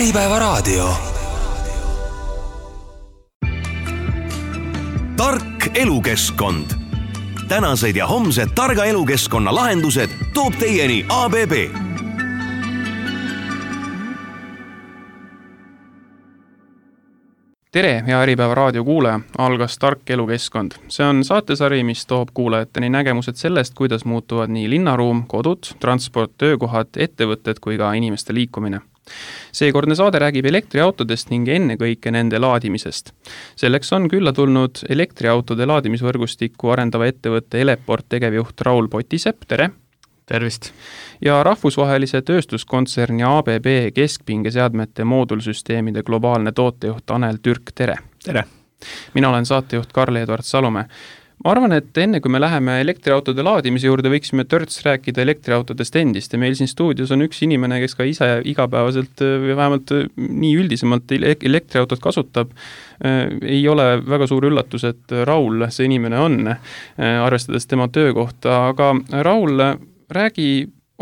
Äripäevaraadio. Tark elukeskkond. Tänased ja homsed targa elukeskkonna lahendused toob teieni ABB. Tere, hea Äripäevaraadio kuulaja, algas Tark elukeskkond. See on saatesari, mis toob kuulajateni nägemused sellest, kuidas muutuvad nii linnaruum, kodud, transport, töökohad, ettevõtted kui ka inimeste liikumine. Seekordne saade räägib elektriautodest ning ennekõike nende laadimisest. Selleks on külla tulnud elektriautode laadimisvõrgustikku arendava ettevõtte Eleport tegevjuht Raul Potisepp, tere! Tervist! Ja rahvusvahelise tööstuskontserni ABB keskpingeseadmete moodulsüsteemide globaalne tootejuht Tanel Türk, tere! Tere! Mina olen saatejuht Karl-Edvard Salumäe. Ma arvan, et enne kui me läheme elektriautode laadimise juurde, võiksime törts rääkida elektriautodest endist ja meil siin stuudios on üks inimene, kes ka ise igapäevaselt või vähemalt nii üldisemalt elektriautot kasutab. Ei ole väga suur üllatus, et Raul see inimene on, arvestades tema töökohta, aga Raul, räägi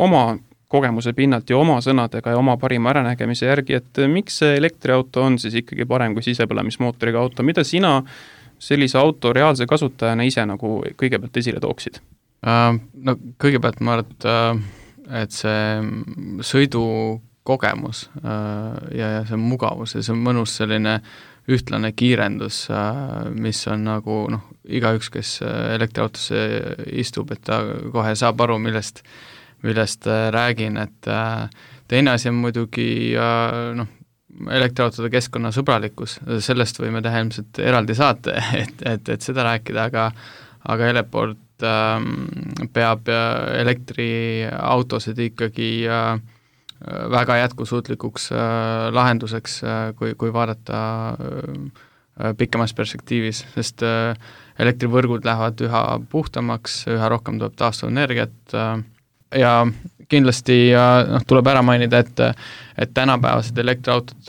oma kogemuse pinnalt ja oma sõnadega ja oma parima äranägemise järgi, et miks see elektriauto on siis ikkagi parem kui sisepõlemismootoriga auto, mida sina sellise auto reaalse kasutajana ise nagu kõigepealt esile tooksid? No kõigepealt ma arvan, et see sõidukogemus ja see mugavus ja see mugavus selline ühtlane kiirendus, mis on nagu igaüks, kes elektriautosse istub, et ta kohe saab aru, millest räägin, et teine asi on muidugi elektriautode keskkonnasõbralikkus, sellest võime teha ilmselt eraldi saate, et seda rääkida, aga Eleport peab elektriautosid ikkagi väga jätkusuutlikuks lahenduseks, kui vaadata pikemas perspektiivis, sest elektrivõrgud lähevad üha puhtamaks, üha rohkem tuleb taastuvenergiat ja kindlasti tuleb ära mainida, et tänapäevased elektriautod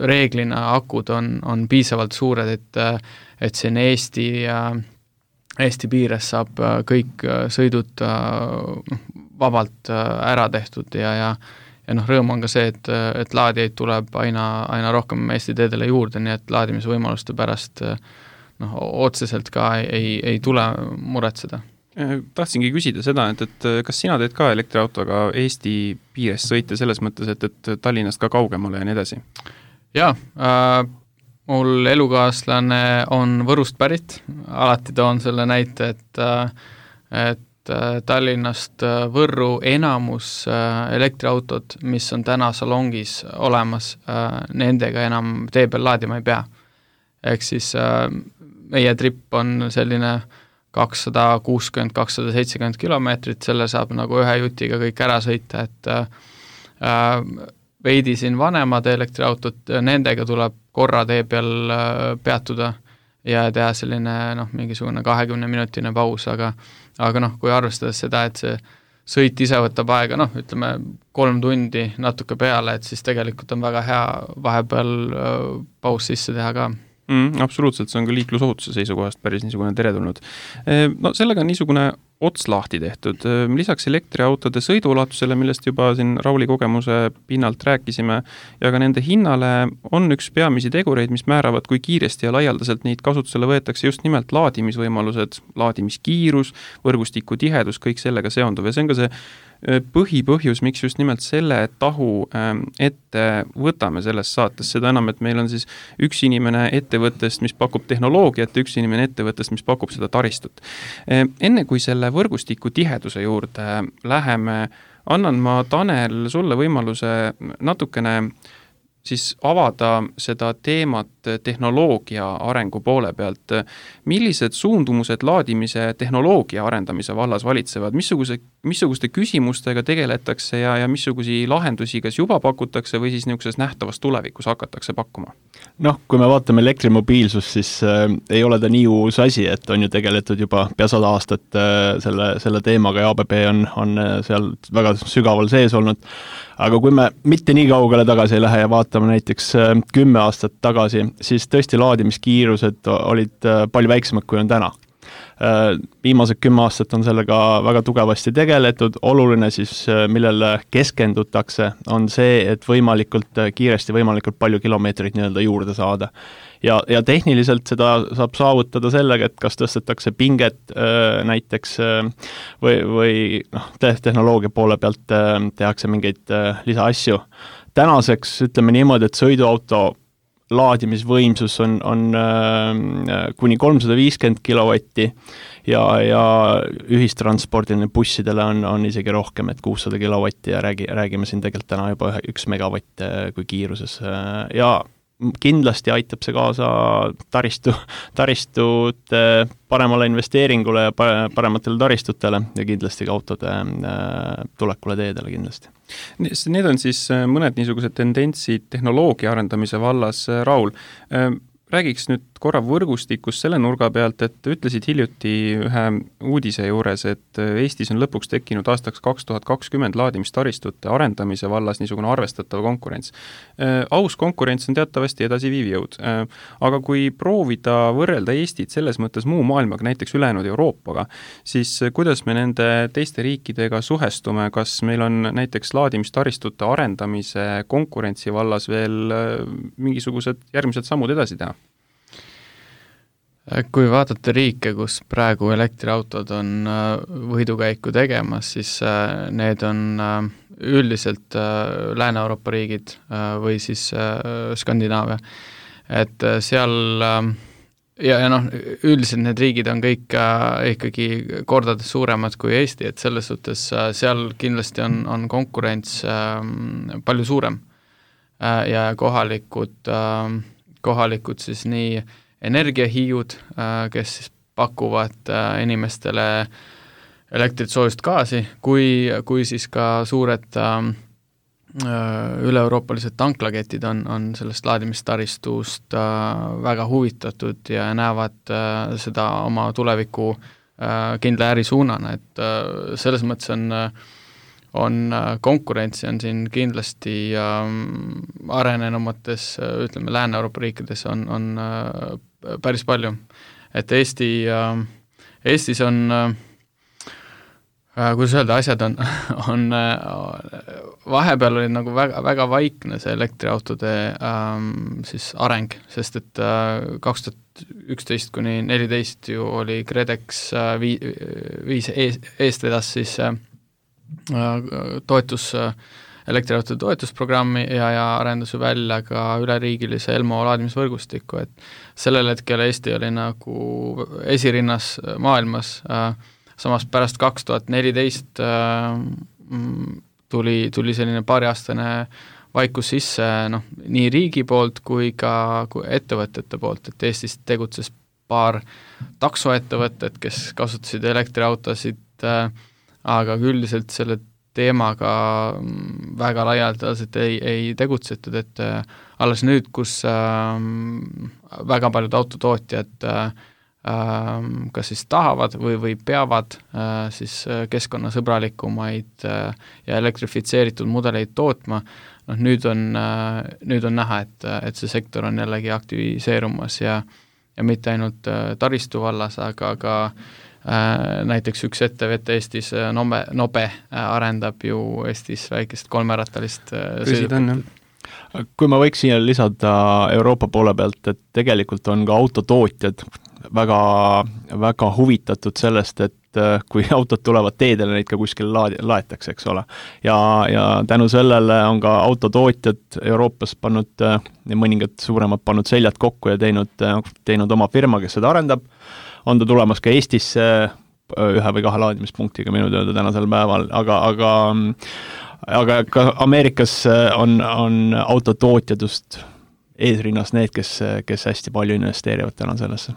reeglina akud on piisavalt suured, et siin Eesti piires saab kõik sõidud vabalt ära tehtud ja rõõm on ka see, et laadijaid tuleb aina rohkem Eesti teedele juurde, nii et laadimisvõimaluste pärast otseselt ka ei tule muretseda. Tahtsingi küsida seda, et kas sina teed ka elektriautoga Eesti piires sõite selles mõttes, et Tallinnast ka kaugemale ja nii edasi? Jaa, mul elukaaslane on Võrust pärit, alati toon selle näite, et Tallinnast Võrru enamus elektriautod, mis on täna salongis olemas, nendega enam tee peal laadima ei pea. Ehk siis meie trip on selline 260-270 kilomeetrit, selle saab nagu ühe jutiga kõik ära sõita, et veidi siin vanemad elektriautot, nendega tuleb korra tee peal peatuda ja teha selline mingisugune 20-minutine paus, aga kui arvestades seda, et see sõit ise võtab aega, ütleme 3 tundi natuke peale, et siis tegelikult on väga hea vahepeal paus sisse teha ka. Absoluutselt, see on ka liiklusohutuse seisukohast päris niisugune teretulnud. Sellega on niisugune ots lahti tehtud. Lisaks elektriautode sõiduulatusele, millest juba siin Rauli kogemuse pinnalt rääkisime, ja ka nende hinnale on üks peamisi tegureid, mis määravad, kui kiiresti ja laialdaselt neid kasutusele võetakse just nimelt laadimisvõimalused, laadimiskiirus, võrgustiku tihedus, kõik sellega seonduv. Ja see on ka see põhipõhjus, miks just nimelt selle tahu ette võtame selles saates, seda enam, et meil on siis üks inimene ettevõttest, mis pakub tehnoloogiat ja üks inimene ettevõttest, mis pakub seda taristut. Enne kui selle võrgustiku tiheduse juurde läheme, annan ma Tanel sulle võimaluse natukene siis avada seda teemat tehnoloogia arengu poole pealt. Millised suundumused laadimise tehnoloogia arendamise vallas valitsevad? Missuguste küsimustega tegeletakse ja missugusi lahendusi kas juba pakutakse või siis niisuguses nähtavas tulevikus hakatakse pakkuma? Kui me vaatame elektrimobiilsust, siis ei ole ta nii uus asi, et on ju tegeletud juba pea 100 aastat selle teemaga ja ABB on seal väga sügaval sees olnud. Aga kui me mitte nii kaugele tagasi ei lähe ja vaatame näiteks 10 aastat tagasi, siis tõesti laadimiskiirused olid palju väiksemad, kui on täna. Viimased 10 aastat on sellega väga tugevasti tegeletud, oluline siis, millele keskendutakse, on see, et võimalikult kiiresti, võimalikult palju kilomeetreid nii-öelda juurde saada. Ja tehniliselt seda saab saavutada sellega, et kas tõstetakse pinget näiteks või tehnoloogia poole pealt tehakse mingeid lisaasju. Tänaseks ütleme niimoodi, et sõiduauto laadimisvõimsus on kuni 350 kilovatti ja ühistranspordiline bussidele on isegi rohkem, et 600 kilovatti ja räägime siin tegelikult täna juba 1 megavatt kui kiiruses ja kindlasti aitab see kaasa taristute paremale investeeringule ja parematele taristutele ja kindlasti ka autode tulekule teedele kindlasti. Need on siis mõned niisugused tendentsid tehnoloogia arendamise vallas. Raul, räägiks nüüd korra võrgustikus selle nurga pealt, et ütlesid hiljuti ühe uudise juures, et Eestis on lõpuks tekkinud aastaks 2020 laadimistaristute arendamise vallas niisugune arvestatav konkurents. Aus konkurents on teatavasti edasiviiv jõud, aga kui proovida võrrelda Eestit selles mõttes muu maailmaga, näiteks ülejäänud Euroopaga, siis kuidas me nende teiste riikidega suhestume, kas meil on näiteks laadimistaristute arendamise konkurentsi vallas veel mingisugused järgmised sammud edasi teha? Kui vaadata riike, kus praegu elektriautod on võidukäiku tegemas, siis need on üldiselt Lääne-Euroopa riigid või siis Skandinaavia. Et seal ja üldiselt need riigid on kõik ikkagi kordades suuremad kui Eesti, et selles suhtes seal kindlasti on konkurents palju suurem ja kohalikud siis nii energiahiiud, kes siis pakuvad inimestele elektrit, soojust, gaasi, kui siis ka suured üle-euroopalised tanklaketid on sellest laadimistaristust väga huvitatud ja näevad seda oma tuleviku kindla ärisuunana, et selles mõttes on konkurentsi on siin kindlasti arenenumates, ütleme, Lääne-Euroopa riikides on päris palju. Et Eestis on, kuidas öelda, asjad on vahepeal oli nagu väga, väga vaikne see elektriautode siis areng, sest et 2011 kuni 2014 ju oli KredEx viis eest vedas siis elektriautode toetusprogrammi ja arendas ju välja ka üleriigilise Elmo laadimisvõrgustiku, et sellel hetkel Eesti oli nagu esirinnas maailmas, samas pärast 2014 tuli selline paariaastane vaikus sisse nii riigi poolt kui ka ettevõtete poolt, et Eestis tegutses paar taksoettevõtet, kes kasutasid elektriautosid, aga üldiselt selle teemaga väga laialdaselt ei tegutsetud, et alles nüüd, kus väga paljud autotootjad kas siis tahavad või peavad siis keskkonnasõbralikumaid ja elektrifitseeritud mudeleid tootma, nüüd on näha, et see sektor on jällegi aktiviseerumas ja mitte ainult taristu vallas, aga ka näiteks üks ettevõte Eestis, Nobe, arendab ju Eestis väikest 3-rattalist sõidukit. Kui ma võiks siia lisada Euroopa poole pealt, et tegelikult on ka autotootjad väga, väga huvitatud sellest, et kui autod tulevad teedele, neid ka kuskil laetakse, eks ole. Ja tänu sellele on ka autotootjad Euroopas pannud, mõningad suuremad pannud seljad kokku ja teinud oma firma, kes seda arendab. On ta tulemas ka Eestisse 1 või 2 laadimispunktiga minu teada tänasel päeval, aga ka Ameerikas on autotootjadust eesrinnas need, kes hästi palju investeerivad täna sellesse.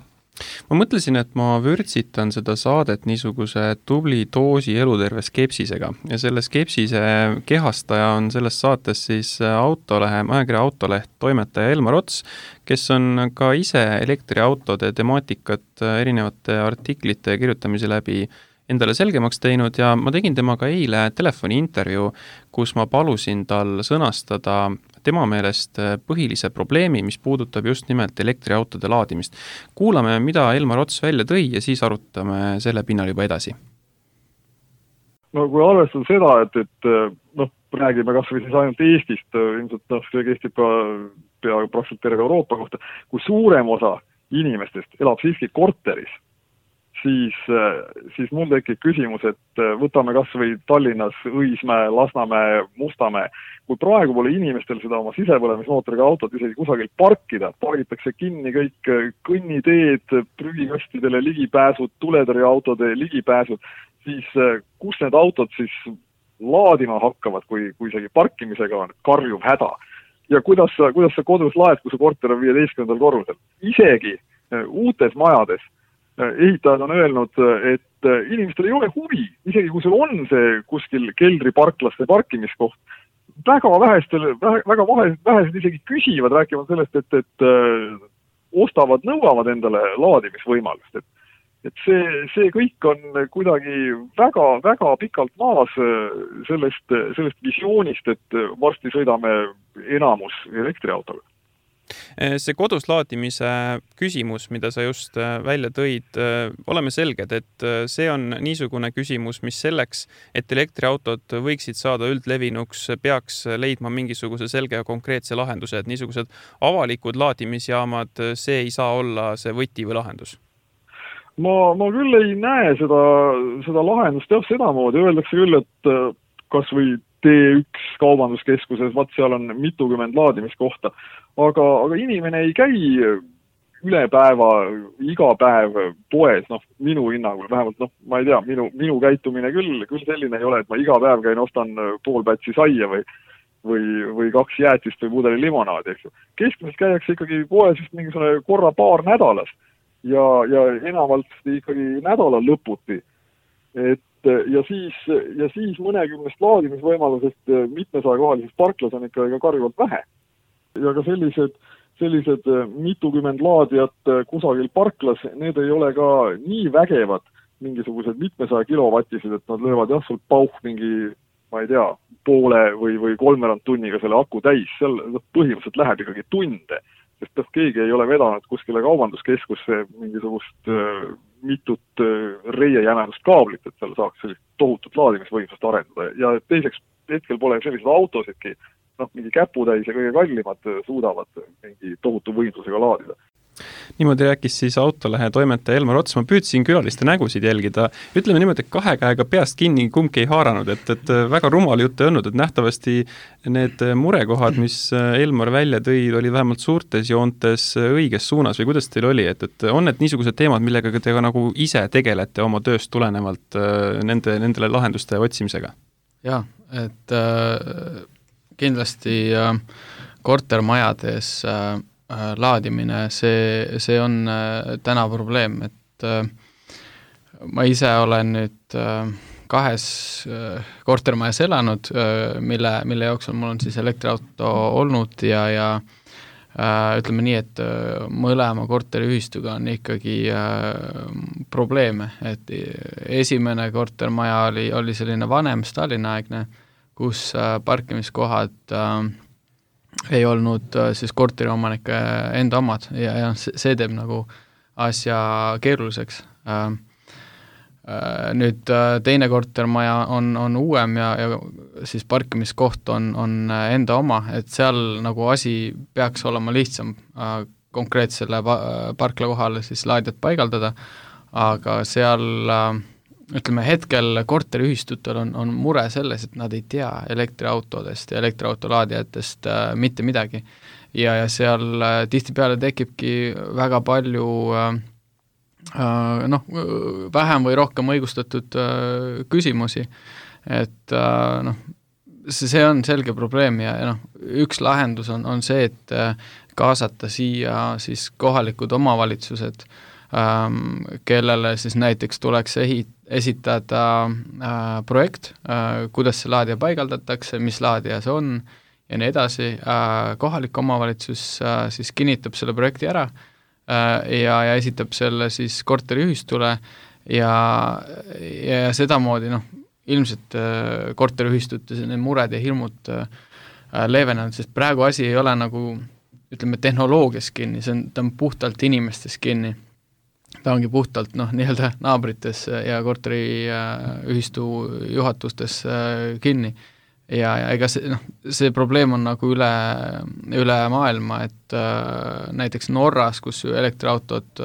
Ma mõtlesin, et ma vürtsitan seda saadet niisuguse tubli doosi eluterve skepsisega ja selle skepsise kehastaja on selles saates siis ajakirja Autoleht toimetaja Elmar Ots, kes on ka ise elektriautode temaatikat erinevate artiklite kirjutamise läbi endale selgemaks teinud ja ma tegin temaga eile telefoniintervjuu, kus ma palusin tal sõnastada tema meelest põhilise probleemi, mis puudutab just nimelt elektriautode laadimist. Kuulame, mida Elmar Ots välja tõi ja siis arutame selle pinnal juba edasi. No kui arvestada seda, et räägime kas või siis ainult Eestist, ilmselt see kehtib ka peaaegu praktiliselt terve Euroopa kohta, kui suurem osa inimestest elab siiski korteris, siis mul tekib küsimus, et võtame kas või Tallinnas Õismäe, Lasnamäe, Mustamäe, kui praegu pole inimestel seda oma sisepõlemismootoriga autot isegi kusagil parkida, pargitakse kinni kõik kõnniteed, prügikastidele ligipääsud, tuletõrjeautode ligipääsud, siis kus need autod siis laadima hakkavad, kui isegi parkimisega on karjuv häda. Ja kuidas sa kodus laed, kui su korter on 15. korrusel? Isegi uutes majades ehitajad on öelnud, et inimestel ei ole huvi, isegi kui sul on see kuskil keldriparklaste parkimiskoht, väga vähesed isegi küsivad, rääkivad sellest, et ostavad, nõuavad endale laadimisvõimalust. Et see kõik on kuidagi väga pikalt maas sellest visioonist, et varsti sõidame enamus elektriautoga. See kodus laadimise küsimus, mida sa just välja tõid, oleme selged, et see on niisugune küsimus, mis selleks, et elektriautod võiksid saada üldlevinuks, peaks leidma mingisuguse selge ja konkreetse lahenduse, et niisugused avalikud laadimisjaamad, see ei saa olla see võti või lahendus. Ma küll ei näe seda lahendust sedamoodi. Öeldakse küll, et kas või T1 kaubanduskeskuses, seal on mitukümmend laadimiskohta, aga inimene ei käi üle päeva, iga päev poes, minu hinnangul, vähemalt, ma ei tea, minu käitumine küll selline ei ole, et ma iga päev käin, ostan pool pätsi saia või 2 jäätist või pudeli limonaadi, eks ju. Keskmiselt käiakse ikkagi poes just mingisugune korra paar nädalas. Ja enamalt ikkagi nädalal lõputi. Ja siis mõnekümnest laadimisvõimalusest mitmesajakohalisest parklas on ikka karjuvalt vähe. Ja ka sellised mitukümmend laadijat kusagil parklas, need ei ole ka nii vägevad mingisugused mitmesaja kilovatised, et nad löövad sul pauh mingi, ma ei tea, poole või 3 tunniga selle aku täis. Seal põhimõtteliselt läheb ikkagi tunde. Sest keegi ei ole vedanud kuskile kaubanduskeskusse mingisugust mitut reiejämedust kaablit, et seal saaks sellist tohutut laadimisvõimsust arendada. Ja teiseks hetkel pole sellised autosidki, mingi käputäis ja kõige kallimad suudavad mingi tohutu võimsusega laadida. Niimoodi rääkis siis Autolehe toimetaja Elmar Ots. Ma püüdsin külaliste nägusid jälgida. Ütleme niimoodi, et 2 käega peast kinni kumbki ei haaranud, et väga rumal jutt ei olnud, et nähtavasti need murekohad, mis Elmar välja tõi, oli vähemalt suurtes joontes õiges suunas või kuidas teil oli, et on need niisugused teemad, millega te ka nagu ise tegelete oma tööst tulenevalt nendele lahenduste otsimisega? Jah, et kindlasti kortermajades laadimine, see on täna probleem, et ma ise olen nüüd 2 kortermajas elanud, mille jooksul mul on siis elektriauto olnud ja ütleme nii, et mõlema korteriühistuga on ikkagi probleeme, et esimene kortermaja oli selline vanem Stalini-aegne, kus parkimiskohad ei olnud siis korteriomanike enda omad ja see teeb nagu asja keeruliseks. Nüüd teine kortermaja on uuem ja siis parkimiskoht on enda oma, et seal nagu asi peaks olema lihtsam konkreetsele parkla kohale siis laadijat paigaldada, aga seal ütleme hetkel korteriühistutel on mure selles, et nad ei tea elektriautodest ja elektriautolaadijatest mitte midagi. Ja seal tihtipeale tekibki väga palju vähem või rohkem õigustatud küsimusi. Et see on selge probleem ja üks lahendus on see, et kaasata siia siis kohalikud omavalitsused, kellele siis näiteks tuleks esitada projekt, kuidas see laadija paigaldatakse, mis laadija see on ja nii edasi. Kohalik omavalitsus siis kinnitab selle projekti ära ja esitab selle siis korteriühistule ja sedamoodi ilmselt korteriühistute need mured ja hirmud leevenenud, sest praegu asi ei ole nagu ütleme tehnoloogias kinni, ta on puhtalt inimestes kinni. Ta ongi puhtalt nii-öelda naabrites ja korteriühistu juhatustes kinni. Ja ega see probleem on nagu üle maailma, et näiteks Norras, kus elektriautod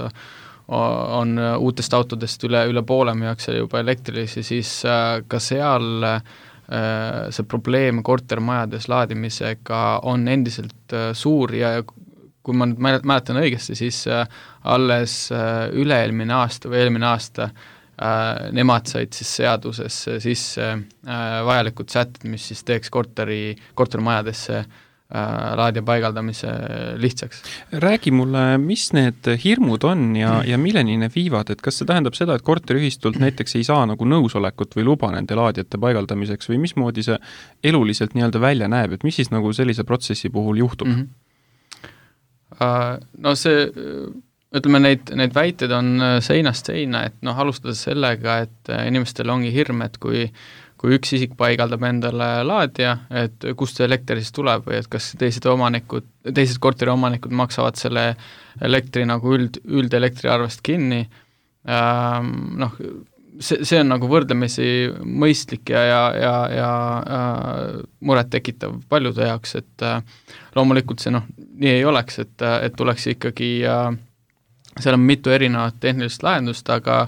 on uutest autodest üle poole müüakse juba elektrilisi, siis ka seal see probleem kortermajades laadimisega on endiselt suur ja kui ma nüüd mäletan õigesti, siis alles üle-eelmine aasta või eelmine aasta nemad said siis seadusesse sisse vajalikud sätted, mis siis teeks kortermajadesse laadija paigaldamise lihtsaks. Räägi mulle, mis need hirmud on ja milleni need viivad, et kas see tähendab seda, et korteriühistult näiteks ei saa nagu nõusolekut või luba nende laadijate paigaldamiseks või mismoodi see eluliselt nii-öelda välja näeb, et mis siis nagu sellise protsessi puhul juhtub? No see, ütleme, neid väited on seinast seina, et alustades sellega, et inimestel ongi hirm, et kui üks isik paigaldab endale laadija, et kust see elekter siis tuleb või et kas teised korteriomanikud maksavad selle elektri nagu üldelektriarvest kinni. See on nagu võrdlemisi mõistlik ja muret tekitav paljude jaoks, et loomulikult see nii ei oleks, et tuleks ikkagi seal on mitu erinevat tehnilist lahendust, aga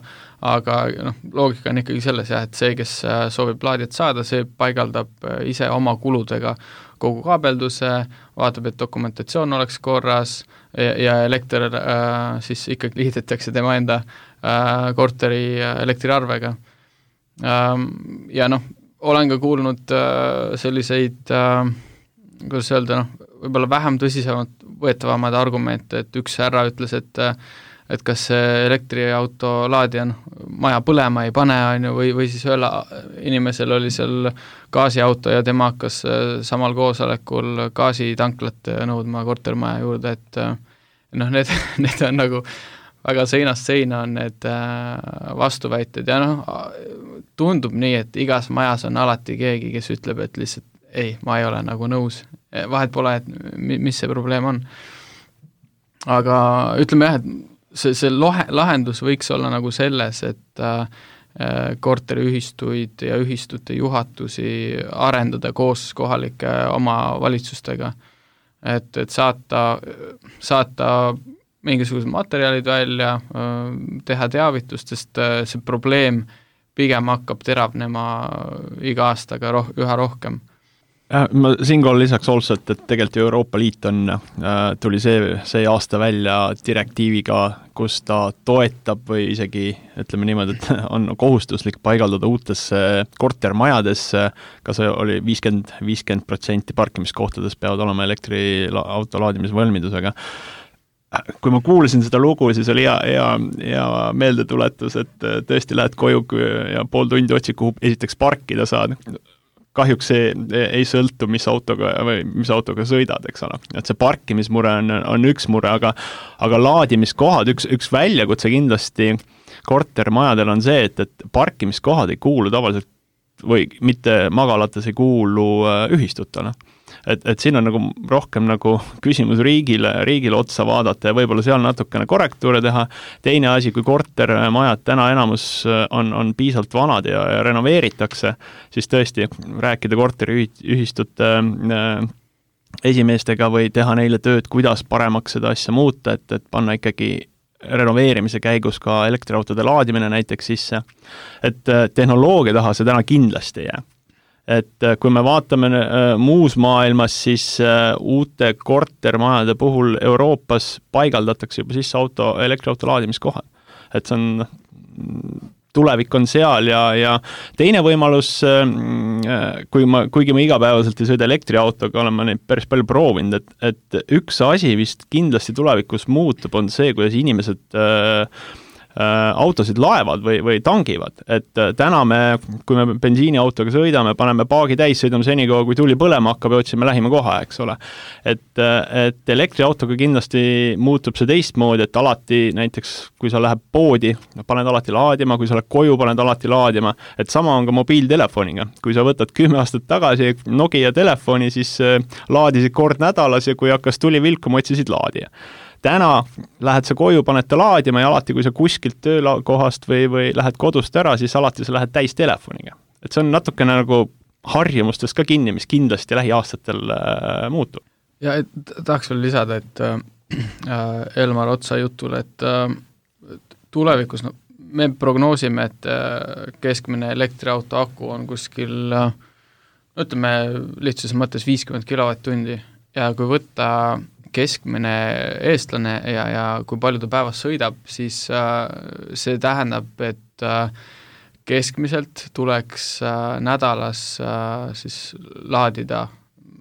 loogika on ikkagi selles, et see, kes soovib laadijat saada, see paigaldab ise oma kuludega kogu kaabelduse, vaatab, et dokumentatsioon oleks korras ja elekter siis ikkagi liidetakse tema enda korteri elektriarvega. Ja olen ka kuulnud selliseid, kuidas öelda, võib-olla vähem tõsisemad võetavamad argumente, et üks härra ütles, et kas see elektriauto laadija maja põlema ei pane, või siis ühel inimesel oli seal gaasiauto ja tema hakkas samal koosolekul gaasitanklat nõudma kortermaja juurde, et need on nagu väga seinast seina on need vastuväited ja tundub nii, et igas majas on alati keegi, kes ütleb, et lihtsalt ei, ma ei ole nagu nõus, vahet pole, et mis see probleem on. Aga ütleme jah, et see lahendus võiks olla nagu selles, et korteriühistuid ja ühistute juhatusi arendada koos kohalike omavalitsustega, et saata mingisugused materjalid välja, teha teavitust, sest see probleem pigem hakkab teravnema iga aastaga üha rohkem. Ma siinkohal lisaks also, et tegelikult Euroopa Liit tuli see aasta välja direktiiviga, kus ta toetab või isegi, ütleme niimoodi, et on kohustuslik paigaldada uutesse kortermajadesse, ka see oli 50% parkimiskohtades peavad olema elektriauto laadimise valmidusega. Kui ma kuulasin seda lugu, siis oli hea meeldetuletus, et tõesti lähed koju ja pool tundi otsid, kuhu esiteks parkida saad. Kahjuks see ei sõltu, mis autoga sõidad, eks ole. Et see parkimismure on üks mure, aga laadimiskohad, üks väljakutse kindlasti kortermajadel on see, et parkimiskohad ei kuulu tavaliselt või mitte magalates ei kuulu ühistutele. Et siin on nagu rohkem nagu küsimus riigile otsa vaadata ja võib-olla seal natukene korrektuure teha. Teine asi, kui kortermajad täna enamus on piisavalt vanad ja renoveeritakse, siis tõesti rääkida korteriühistute esimeestega või teha neile tööd, kuidas paremaks seda asja muuta, et panna ikkagi renoveerimise käigus ka elektriautode laadimine näiteks sisse. Et tehnoloogia taha see täna kindlasti ei jää. Et kui me vaatame muus maailmas, siis uute kortermajade puhul Euroopas paigaldatakse juba sisse elektriauto laadimiskohad. Et see on, tulevik on seal ja teine võimalus, kuigi ma igapäevaselt ei sõida elektriautoga, olen ma neid päris palju proovinud, et üks asi vist kindlasti tulevikus muutub, on see, kuidas inimesed autosid laevad või tangivad, et täna kui me bensiiniautoga sõidame, paneme paagi täis, sõidame senikaua, kui tuli põlema hakkab ja otsime lähima koha, eks ole. Et elektriautoga kindlasti muutub see teistmoodi, et alati näiteks, kui sa lähed poodi, paned alati laadima, kui sa lähed koju, paned alati laadima, et sama on ka mobiiltelefoniga. Kui sa võtad 10 aastat tagasi Nokia telefoni, siis laadisid kord nädalas ja kui hakkas tuli vilkuma, otsisid laadija. Täna lähed sa koju, paned ta laadima ja alati, kui sa kuskilt töökohast või lähed kodust ära, siis alati sa lähed täis telefoniga. Et see on natukene nagu harjumustest ka kinni, mis kindlasti lähiaastatel muutub. Ja tahaks veel lisada, et Elmar Otsa jutul, et tulevikus me prognoosime, et keskmine elektriauto aku on kuskil, ütleme lihtsas mõttes 50 kWh ja kui võtta keskmine eestlane ja kui palju ta päevas sõidab, siis see tähendab, et keskmiselt tuleks nädalas siis laadida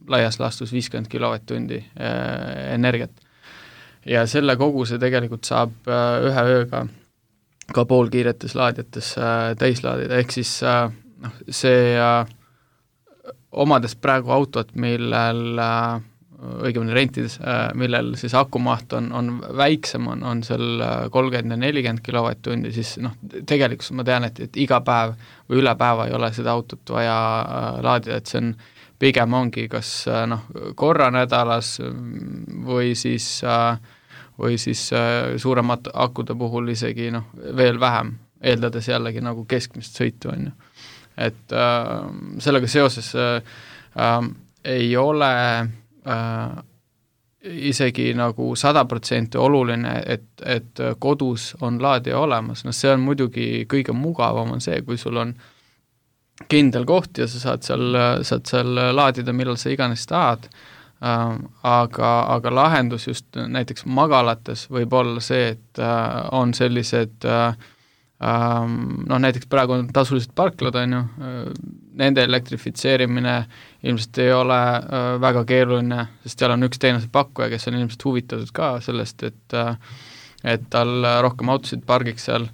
laias laastus 50 kWh energiat. Ja selle koguse tegelikult saab ühe ööga ka poolkiiretes laadijates täislaadida, ehk siis see omades praegu autot, millel õigemini rentides, millel siis akumaht on väiksem, on seal 30 ja 40 kWh, siis tegelikult ma tean, et iga päev või üle päeva ei ole seda autot vaja laadida, et see on pigem ongi kas korra nädalas või siis suuremat akude puhul isegi veel vähem, eeldades jällegi nagu keskmist sõitu on ju. Et sellega seoses ei ole isegi nagu 100% oluline, et kodus on laadija olemas. See on muidugi kõige mugavam on see, kui sul on kindel koht ja sa saad seal laadida, millal sa iganes tahad, aga lahendus just näiteks magalates võib olla see, et on sellised näiteks praegu on tasulised parklad, on ju, nende elektrifitseerimine ilmselt ei ole väga keeruline, sest seal on üks teenusepakkuja, kes on ilmselt huvitatud ka sellest, et tal rohkem autosid pargiks seal,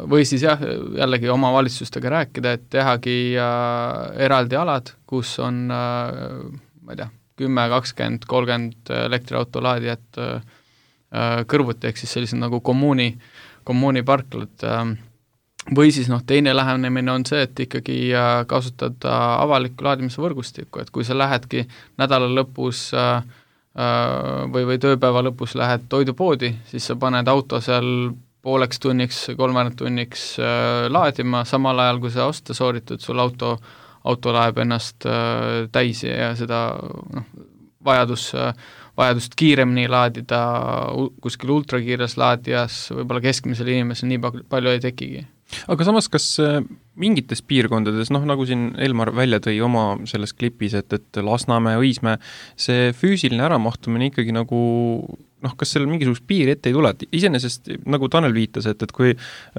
või siis jah, jällegi oma valitsustega rääkida, et tehagi eraldi alad, kus on, ma ei tea, 10, 20, 30 elektriauto laadijat kõrvuti, ehk siis sellised nagu kommuuniparklad, või siis teine lähenemine on see, et ikkagi kasutada avalikku laadimise võrgustikku, et kui sa lähedki nädala lõpus või tööpäeva lõpus lähed toidupoodi, siis sa paned auto seal pooleks tunniks, 3 tunniks laadima, samal ajal kui sa osta sooritud, sul auto läheb ennast täis ja seda vajadust kiiremini laadida kuskil ultrakiires laadijas, võib-olla keskmisel inimesel nii palju ei tekigi. Aga samas, kas mingites piirkondades, nagu siin Elmar välja tõi oma selles klipis, et Lasnamäe, Õismäe, see füüsiline äramahtumine ikkagi nagu kas seal mingisugust piiri ette ei tule, et iseenesest, nagu Tanel viitas, et kui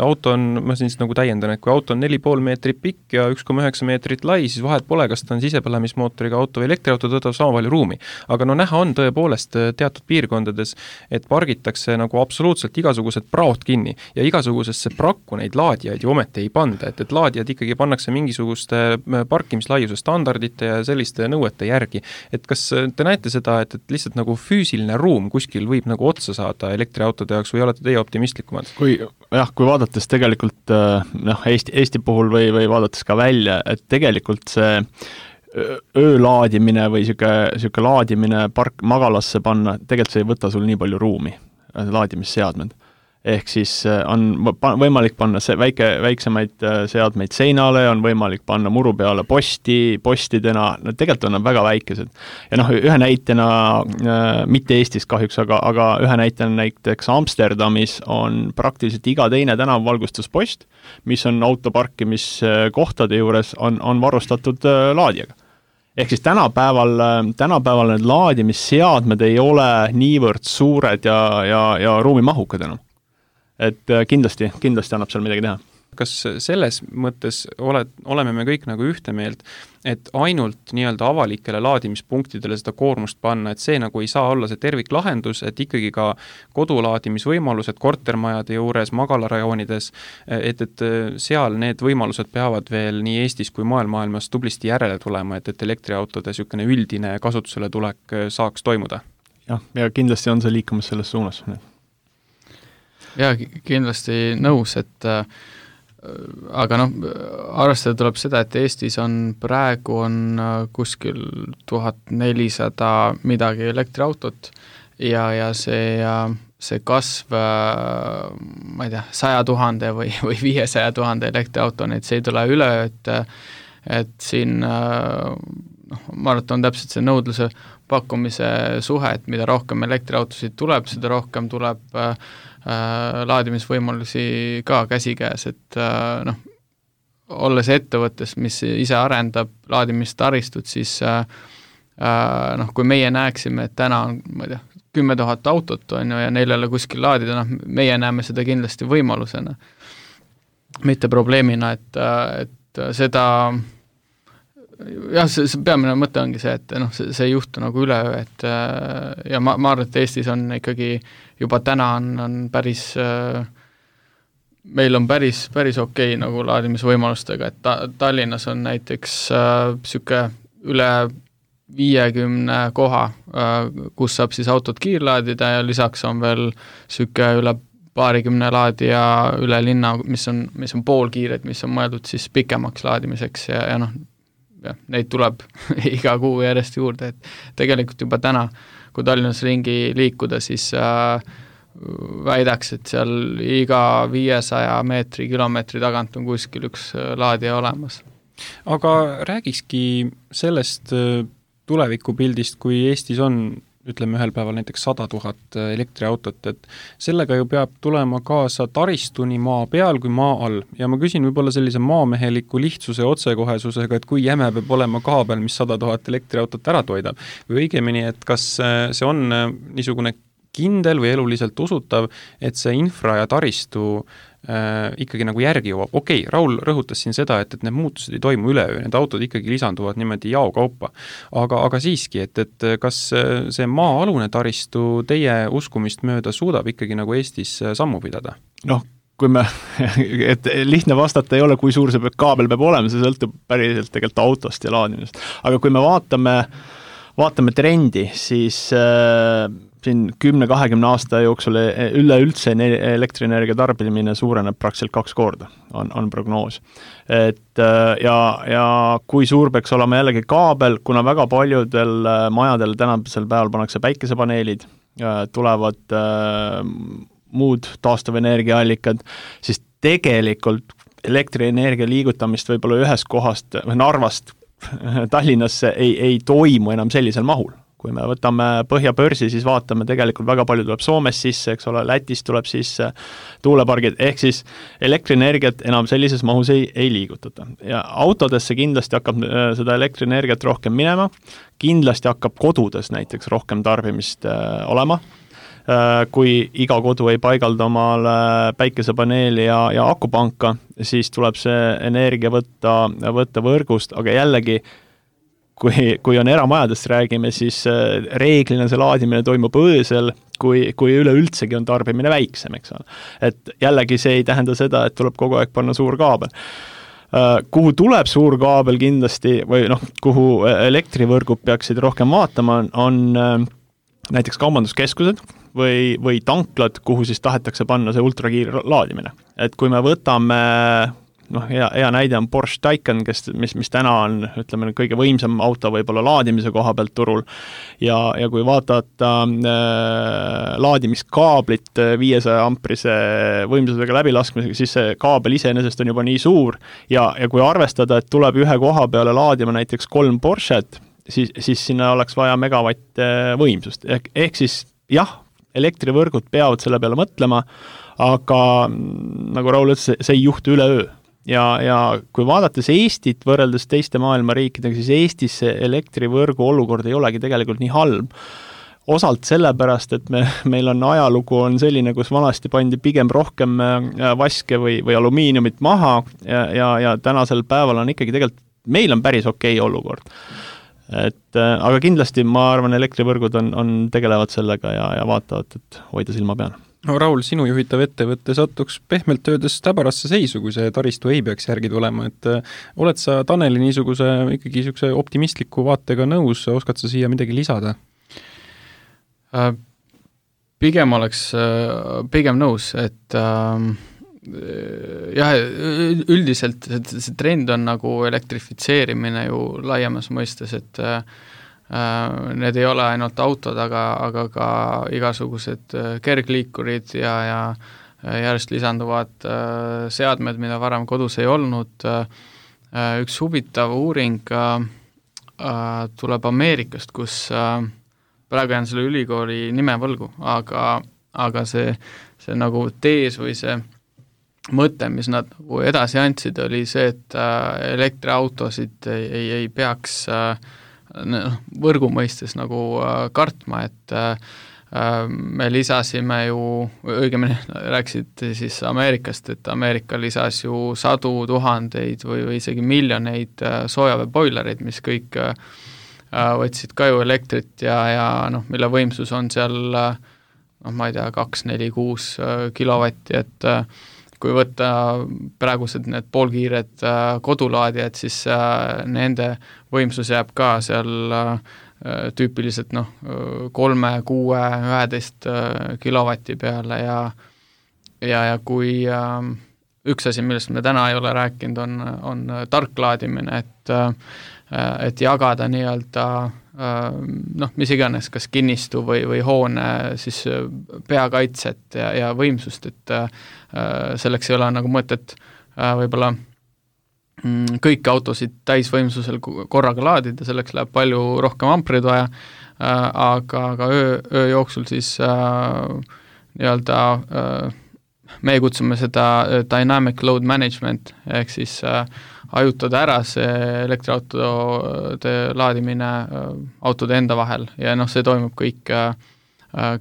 auto on, ma siis nagu täiendan, et kui auto on 4,5 meetrit pikk ja 1,9 meetrit lai, siis vahet pole, kas ta on sisepõlemismootoriga auto või elektriauto, tõtab sama palju ruumi. Aga näha on tõepoolest teatud piirkondades, et pargitakse nagu absoluutselt igasugused praot kinni ja igasugusesse prakku neid laadijaid ju ometi ei panda, et laadijad ikkagi pannakse mingisuguste parkimislaiuse standardite ja selliste nõuete järgi. Et kas te näete seda, et lihtsalt nagu füüsiline ruum kuskil võib nagu otsa saada elektriautode jaoks või olete teie optimistlikumad? Kui vaadates tegelikult Eesti puhul või vaadates ka välja, et tegelikult see öölaadimine või siuke laadimine magalasse panna, tegelikult see ei võta sul nii palju ruumi, laadimisseadmed. Ehk siis on võimalik panna väiksemaid seadmeid seinale, on võimalik panna muru peale postidena, tegelikult on nad väga väikesed. Ja ühe näitena, mitte Eestis kahjuks, aga ühe näitena näiteks Amsterdamis on praktiliselt iga teine tänavvalgustuspost, mis on autoparkimiskohtade juures, on varustatud laadijaga. Ehk siis tänapäeval need laadimisseadmed ei ole niivõrd suured ja ruumimahukad enam. Et kindlasti annab seal midagi teha. kas selles mõttes oleme me kõik nagu ühte meelt, et ainult nii-öelda avalikele laadimispunktidele seda koormust panna, et see nagu ei saa olla see terviklahendus, et ikkagi ka kodulaadimisvõimalused kortermajade juures, magalarajoonides, et seal need võimalused peavad veel nii Eestis kui maailmas tublisti järele tulema, et elektriautode niisugune üldine kasutusele tulek saaks toimuda? Ja kindlasti on see liikumas selles suunas. Ja kindlasti nõus, et aga arvestada tuleb seda, et Eestis praegu on kuskil 1400 midagi elektriautot ja see kasv, ma ei tea, 100 000 või 500 000 elektriauto, see ei tule üle, et siin ma arvan, et on täpselt see nõudluse pakkumise suhe, et mida rohkem elektriautosid tuleb, seda rohkem tuleb laadimisvõimalusi ka käsikäes, et olles ettevõttes, mis ise arendab laadimistaristut, siis kui meie näeksime, et täna on, ma ei tea, 10 000 autot on ju, ja neil ei ole kuskil laadida, meie näeme seda kindlasti võimalusena, mitte probleemina, et seda jah, see peamine mõte ongi see, et see ei juhtu nagu üleöö, et ja ma arvan, et Eestis on ikkagi juba täna on päris, meil on päris okei nagu laadimisvõimalustega, et Tallinnas on näiteks siuke üle 50 koha, kus saab siis autot kiirlaadida ja lisaks on veel siuke üle 20 laadija üle linna, mis on poolkiired, mis on mõeldud siis pikemaks laadimiseks ja neid tuleb iga kuu järjest juurde, et tegelikult juba täna, kui Tallinnas ringi liikuda, siis väidaks, et seal iga 500 meetri, kilomeetri tagant on kuskil üks laadija olemas. Aga räägikski sellest tulevikupildist, kui Eestis on ütleme ühel päeval näiteks 100 000 elektriautot, et sellega ju peab tulema kaasa taristu nii maa peal kui maa all. Ja ma küsin võib-olla sellise maameheliku lihtsuse ja otsekohesusega, et kui jäme peab olema kaabel, mis 100 000 elektriautot ära toidab. Või õigemini, et kas see on niisugune kindel või eluliselt usutav, et see infra ja taristu ikkagi nagu järgi jõuab. Okei, Raul rõhutas siin seda, et need muutused ei toimu üleöö, need autod ikkagi lisanduvad niimoodi jaokaupa. Aga siiski, et kas see maa-alune taristu teie uskumist mööda suudab ikkagi nagu Eestis sammu pidada? Kui me, et lihtne vastata ei ole, kui suur see kaabel peab olema, see sõltub päriselt tegelikult autost ja laadimist. Aga kui me vaatame trendi, siis siin 10-20 aasta jooksul üleüldse elektrienergia tarbimine suureneb praktiliselt 2 korda, on prognoos. Ja kui suur peaks olema jällegi kaabel, kuna väga paljudel majadel tänasel päeval pannakse päikesepaneelid, tulevad muud taastuvenergiaallikad, siis tegelikult elektrienergia liigutamist võib-olla ühest kohast, Narvast Tallinnasse ei toimu enam sellisel mahul. Kui me võtame Põhjabörsi, siis vaatame, tegelikult väga palju tuleb Soomes sisse, eks ole, Lätis tuleb sisse tuulepargid, ehk siis elektrienergiat enam sellises mahus ei liigutata. Ja autodesse kindlasti hakkab seda elektrienergiat rohkem minema, kindlasti hakkab kodudes näiteks rohkem tarbimist olema, kui iga kodu ei paigalda omale päikesepaneeli ja akupanka, siis tuleb see energia võtta võrgust, aga jällegi kui on eramajadest räägime, siis reeglina see laadimine toimub öösel, kui üleüldsegi on tarbimine väiksem, eks ole. Et jällegi see ei tähenda seda, et tuleb kogu aeg panna suur kaabel. Kuhu tuleb suur kaabel kindlasti, või kuhu elektrivõrgud peaksid rohkem vaatama, on näiteks kaubanduskeskused või tanklad, kuhu siis tahetakse panna see ultrakiir laadimine. Et kui me võtame hea näide on Porsche Taycan, mis täna on, ütleme, kõige võimsam auto võib-olla laadimise koha pealt turul ja kui vaadata laadimiskaablit 500 amprise võimsusega läbilaskmisega, siis see kaabel iseenesest on juba nii suur ja kui arvestada, et tuleb ühe koha peale laadima näiteks 3 Porschet, siis sinna oleks vaja megavatt võimsust. Ehk siis jah, elektrivõrgud peavad selle peale mõtlema, aga nagu Raul ütles, see ei juhtu üleöö. Ja kui vaadates Eestit võrreldes teiste maailma riikidega, siis Eestis see elektrivõrgu olukord ei olegi tegelikult nii halb. osalt sellepärast, et meil on ajalugu on selline, kus vanasti pandi pigem rohkem vaske või alumiiniumit maha ja tänasel päeval on ikkagi tegelikult, meil on päris okei olukord. Aga kindlasti ma arvan, elektrivõrgud tegelevad sellega ja vaatavad, et hoida silma peal. No Raul, sinu juhitav ettevõtte sattuks pehmelt öeldes täbarasse seisu, kui see taristu ei peaks järgi tulema, et oled sa Taneli niisuguse ikkagi niisuguse optimistliku vaatega nõus, oskad sa siia midagi lisada? Pigem nõus, et jah, üldiselt see trend on nagu elektrifitseerimine ju laiemas mõistes, et need ei ole ainult autod, aga ka igasugused kergliikurid ja järjest lisanduvad seadmed, mida varem kodus ei olnud. Üks huvitav uuring tuleb Ameerikast, kus praegu jään selle ülikooli nime võlgu, aga see nagu tees või see mõte, mis nad nagu edasi andsid, oli see, et elektriautosid ei peaks võrgu mõistes nagu kartma, et me lisasime ju, õigemini rääkisid siis Ameerikast, et Ameerika lisas ju 100,000 või isegi miljoneid soojaveeboilereid, mis kõik võtsid ka ju elektrit ja mille võimsus on seal, ma ei tea, 2, 4, 6 kilovatti, et kui võtta praegused need poolkiired kodulaadijad, siis nende võimsus jääb ka seal tüüpiliselt 3, 6, 11 kilovati peale ja kui üks asi, millest me täna ei ole rääkinud, on tarklaadimine, et jagada nii-öelda mis iganes, kas kinnistu või hoone siis peakaitset ja võimsust, et selleks ei ole nagu mõtet võib-olla kõiki autosid täisvõimsusel korraga laadida, selleks läheb palju rohkem ampreid vaja, aga öö jooksul siis nii-öelda meie kutsume seda dynamic load management, ehk siis ajutada ära see elektriautode laadimine autode enda vahel ja see toimub kõik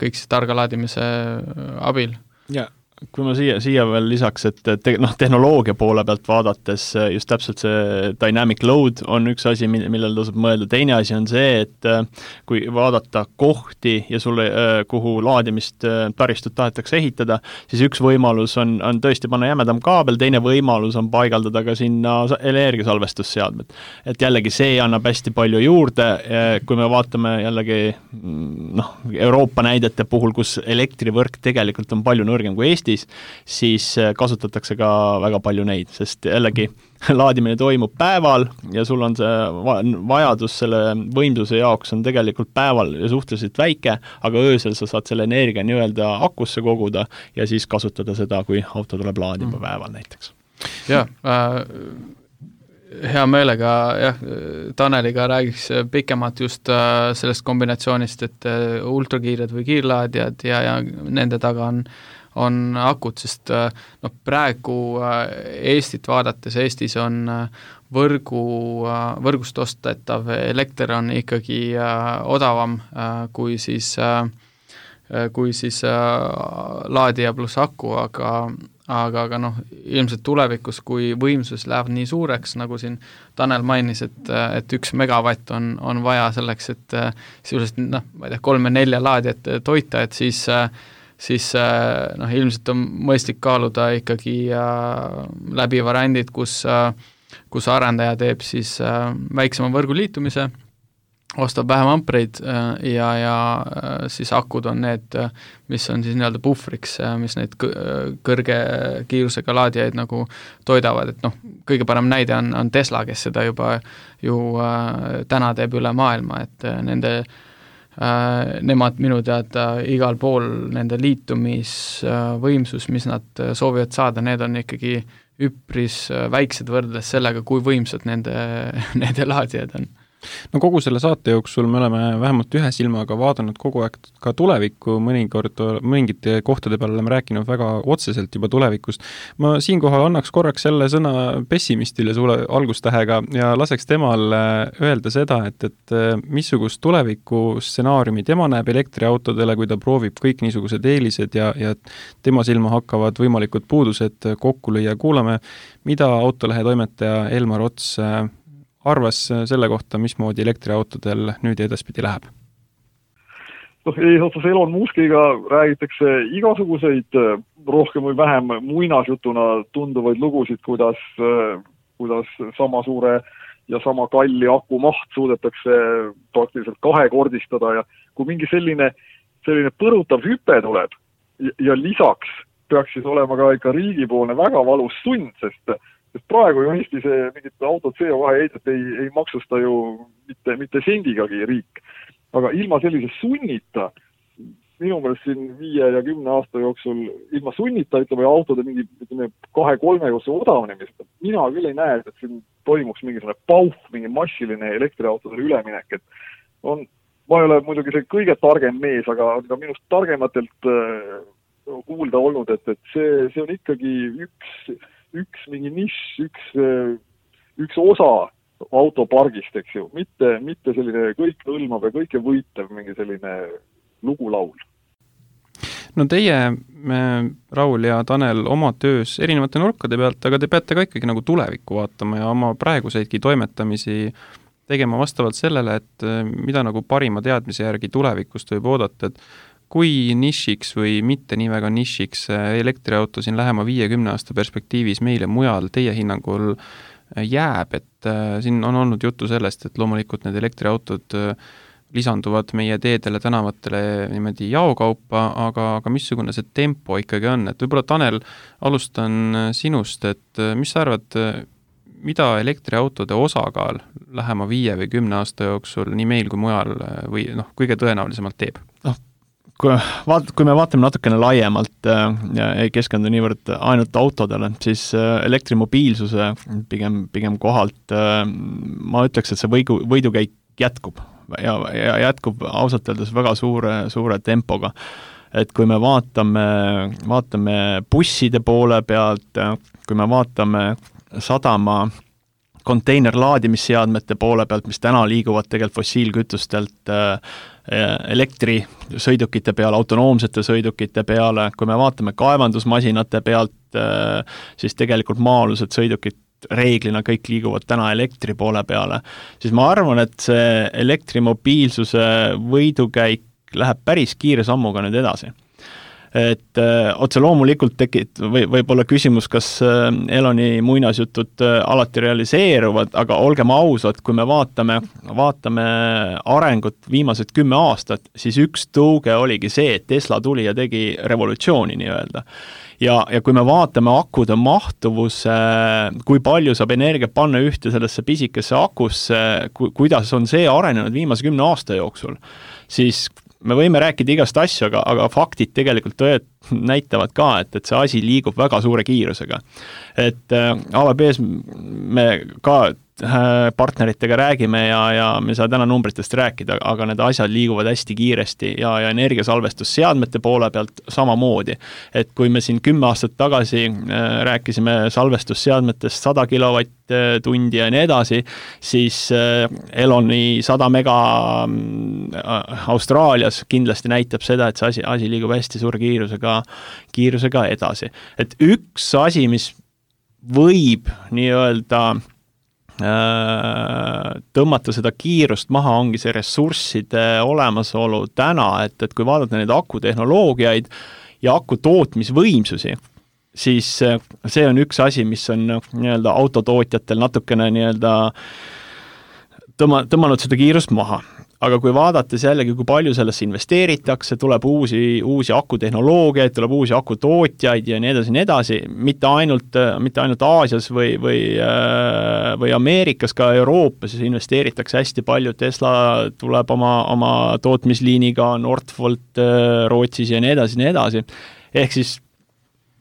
siis targa laadimise abil. Ja kui ma siia veel lisaks, et tehnoloogia poole pealt vaadates just täpselt see dynamic load on üks asi, millel tasub mõelda. Teine asi on see, et kui vaadata kohti ja sulle, kuhu laadimist taristut tahetakse ehitada, siis üks võimalus on tõesti panna jämedam kaabel, teine võimalus on paigaldada ka sinna energiasalvestusseadmed. Et jällegi see annab hästi palju juurde, kui me vaatame jällegi Euroopa näidete puhul, kus elektrivõrk tegelikult on palju nõrgem kui Eestis, siis kasutatakse ka väga palju neid, sest jällegi laadimine toimub päeval ja sul on see vajadus selle võimsuse jaoks on tegelikult päeval ja suhteliselt väike, aga öösel sa saad selle energia nii-öelda akusse koguda ja siis kasutada seda, kui auto tuleb laadima päeval näiteks. Jah, hea meelega Taneliga räägiks pikemalt just sellest kombinatsioonist, et ultrakiired või kiirlaadijad ja nende taga on akud, sest praegu Eestit vaadates, Eestis on võrgust ostetav elekter on ikkagi odavam kui siis laadija pluss aku, aga ilmselt tulevikus, kui võimsus läheb nii suureks, nagu siin Tanel mainis, et 1 megavatt on vaja selleks, et sisuliselt, ma ei tea, 3-4 laadijat toita, et siis ilmselt on mõistlik kaaluda ikkagi läbi variandid, kus arendaja teeb siis väiksema võrgu liitumise, ostab vähem ampreid ja siis akud on need, mis on siis nii-öelda puhvriks, mis neid kõrge kiirusega laadijaid nagu toidavad, et kõige parem näide on Tesla, kes seda juba ju täna teeb üle maailma, et nemad minu teada igal pool nende liitumisvõimsus, mis nad soovivad saada, need on ikkagi üpris väiksed võrdes sellega, kui võimsad nende laadijad on. No kogu selle saate jooksul me oleme vähemalt ühe silmaga vaadanud kogu aeg ka tulevikku, mõnikord mingite kohtade peale oleme rääkinud väga otseselt juba tulevikust. Ma siinkohal annaks korraks selle sõna pessimistile sulle algustähega ja laseks temal öelda seda, et missugust tuleviku stsenaariumi tema näeb elektriautodele, kui ta proovib kõik niisugused eelised ja tema silma hakkavad võimalikud puudused kokku lüüa. Kuulame, mida Autolehe toimetaja Elmar Ots arvas selle kohta, mismoodi elektriautodel nüüd edaspidi läheb? Eesotsas Elon Muskiga räägitakse igasuguseid rohkem või vähem muinasjutuna tunduvaid lugusid, kuidas sama suure ja sama kalli aku maht suudetakse praktiliselt kahekordistada ja kui mingi selline põrutav hüpe tuleb ja lisaks peaks siis olema ka ikka riigipoolne väga valus sund, sest praegu ju Eestis mingit auto CO2 heidet ei maksusta ju mitte sendigagi riik. Aga ilma sellise sunnita, minu meelest siin 5 ja 10 aasta jooksul, ilma sunnita, ütleme, autode mingi 2-3 odavnemist, mina küll ei näe, et siin toimuks mingi massiline elektriautodele üleminek. Ma ei ole muidugi see kõige targem mees, aga minust targematelt kuulda olnud, et see on ikkagi üks mingi nišš, üks osa autopargist, eks ju, mitte selline kõik hõlmab ja kõike võitev mingi selline lugulaul. No teie, Raul ja Tanel, oma töös erinevate nurkade pealt, aga te peate ka ikkagi nagu tulevikku vaatama ja oma praeguseidki toimetamisi tegema vastavalt sellele, et mida nagu parima teadmise järgi tulevikust võib oodata, et kui nišiks või mitte nii väga nišiks elektriauto siin lähema 50 aasta perspektiivis meile mujal teie hinnangul jääb, et siin on olnud juttu sellest, et loomulikult need elektriautod lisanduvad meie teedele, tänavatele niimoodi jaokaupa, aga missugune see tempo ikkagi on, et võib-olla Tanel, alustan sinust, et mis sa arvad, mida elektriautode osakaal lähema 5 või 10 aasta jooksul nii meil kui mujal või kõige tõenäolisemalt teeb? Kui me vaatame natukene laiemalt ja ei keskendu niivõrd ainult autodele, siis elektrimobiilsuse pigem kohalt ma ütleks, et see võidukäik jätkub ja jätkub ausalt öeldes väga suure tempoga. Et kui me vaatame busside poole pealt, kui me vaatame sadama konteinerlaadimisseadmete poole pealt, mis täna liiguvad tegelikult fossiilkütustelt elektrisõidukite peale, autonoomsete sõidukite peale, kui me vaatame kaevandusmasinate pealt, siis tegelikult maa-alused sõidukid reeglina kõik liiguvad täna elektri poole peale, siis ma arvan, et see elektrimobiilsuse võidukäik läheb päris kiire sammuga nüüd edasi. Et otse loomulikult võib olla küsimus, kas Eloni muinasjutud alati realiseeruvad, aga olgem ausad, kui me vaatame arengut viimased 10 aastat, siis üks tõuge oligi see, et Tesla tuli ja tegi revolutsiooni nii-öelda. Ja kui me vaatame akude mahtuvuse, kui palju saab energia panna ühte sellesse pisikesse akusse, kuidas on see arenenud viimase 10 aasta jooksul, siis me võime rääkida igast asju, aga faktid tegelikult näitavad ka, et see asi liigub väga suure kiirusega. Et AVB-s me ka partneritega räägime ja me saa täna numbritest rääkida, aga need asjad liiguvad hästi kiiresti ja energiasalvestusseadmete poole pealt samamoodi. Et kui me siin 10 aastat tagasi rääkisime salvestusseadmetest 100 kilovatt-tundi ja nii edasi, siis Eloni 100 mega Austraalias kindlasti näitab seda, et see asi liigub hästi suure kiirusega edasi. Et üks asi, mis võib nii-öelda tõmmata seda kiirust maha, ongi see ressursside olemasolu täna, et kui vaadata neid akutehnoloogiaid ja aku tootmisvõimsusi, siis see on üks asi, mis on nii-öelda autotootjatel natukene nii-öelda tõmmanud seda kiirust maha. Aga kui vaadates jällegi, kui palju sellesse investeeritakse, tuleb uusi akutehnoloogiaid, tuleb uusi akutootjaid ja nii edasi, mitte ainult Aasias või Ameerikas, ka Euroopas investeeritakse hästi palju, Tesla tuleb oma tootmisliiniga, Northvolt Rootsis ja nii edasi. Ehk siis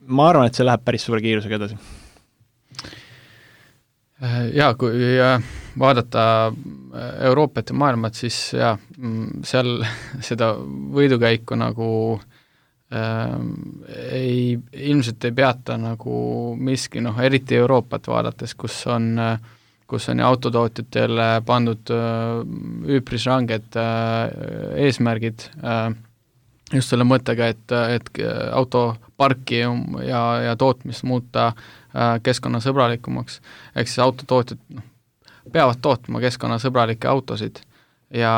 ma arvan, et see läheb päris suure kiirusega edasi. Jaa, kui vaadata Euroopat ja maailmat, siis jaa, seal seda võidukäiku nagu ilmselt ei peata nagu miski, eriti Euroopat vaadates, kus on autotootjatele pandud üpris ranged eesmärgid just selle mõttega, et autoparki ja tootmist muuta keskkonnasõbralikumaks. Ehk siis autotootjad peavad tootma keskkonnasõbralikke autosid ja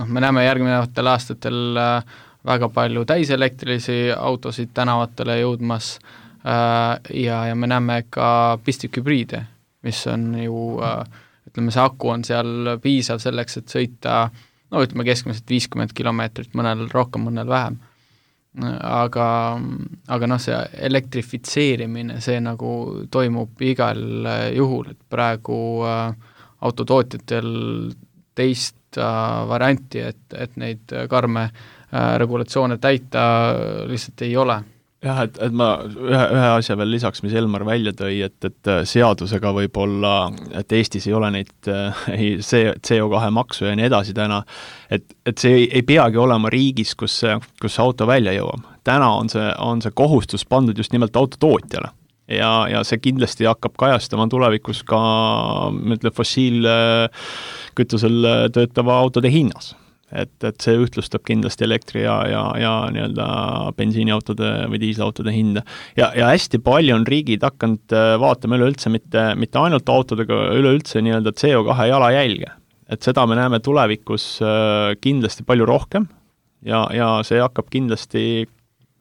me näeme järgnevatel aastatel väga palju täiselektrilisi autosid tänavatele jõudmas ja me näeme ka pistikhübriide, mis on ju, ütleme, see aku on seal piisav selleks, et sõita ütleme keskmiselt 50 kilomeetrit, mõnel rohkem, mõnel vähem. Aga see elektrifitseerimine, see nagu toimub igal juhul, et praegu autotootjatel teist varianti, et neid karme regulatsioone täita lihtsalt ei ole. Jah, et ma ühe asja veel lisaks, mis Elmar välja tõi, et seadusega võib olla, et Eestis ei ole neid CO2 maksu ja nii edasi täna, et see ei peagi olema riigis, kus auto välja jõuab. Täna on see kohustus pandud just nimelt autotootjale ja see kindlasti hakkab kajastama tulevikus ka fossiilkütusel töötava autode hinnas. Et see ühtlustab kindlasti elektri ja nii-öelda bensiiniautode või diislautode hinda. Ja hästi palju on riigid hakanud vaatama üleüldse mitte ainult autodega, üleüldse nii-öelda CO2 jalajälge. Et seda me näeme tulevikus kindlasti palju rohkem ja see hakkab kindlasti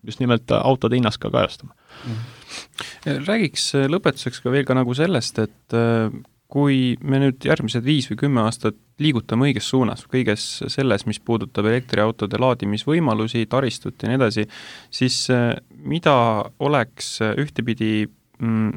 just nimelt autode hinnas ka kajastama. Räägiks lõpetuseks ka veel ka nagu sellest, et kui me nüüd järgmised 5 või 10 aastat liigutame õiges suunas, kõiges selles, mis puudutab elektriautode laadimisvõimalusi, taristut ja nii edasi, siis mida oleks ühtepidi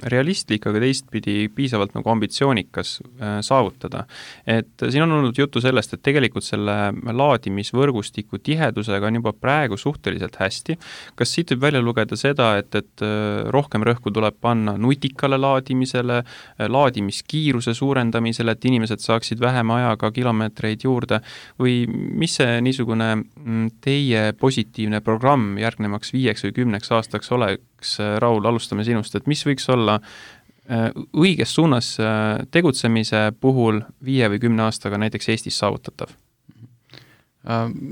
realistlik, aga teistpidi piisavalt nagu ambitsioonikas saavutada. Et siin on olnud juttu sellest, et tegelikult selle laadimisvõrgustiku tihedusega on juba praegu suhteliselt hästi. Kas siit võib välja lugeda seda, et rohkem rõhku tuleb panna nutikale laadimisele, laadimiskiiruse suurendamisele, et inimesed saaksid vähem ajaga kilomeetreid juurde või mis see niisugune teie positiivne programm järgnemaks 5 või 10 aastaks oleks? Raul, alustame sinust, et mis võiks olla õiges suunas tegutsemise puhul 5 või 10 aastaga näiteks Eestis saavutatav?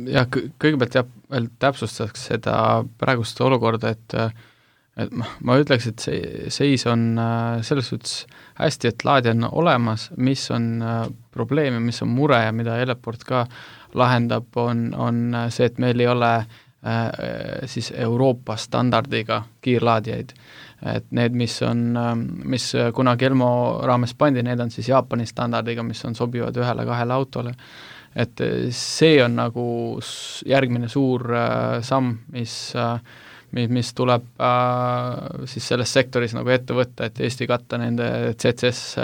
Ja kõigepealt veel täpsustaks seda praegust olukorda, et ma ütleks, et see seis on selles suhtes hästi, et laadi on olemas, mis on probleem ja mis on mure ja mida Eleport ka lahendab, on see, et meil ei ole siis Euroopa standardiga kiirlaadijaid. Et need, mis kunagi Elmo raames pandi, need on siis Jaapani standardiga, mis on sobivad 1-2 autole. Et see on nagu järgmine suur samm, mis tuleb siis selles sektoris nagu ette võtta, et Eesti katta nende CCS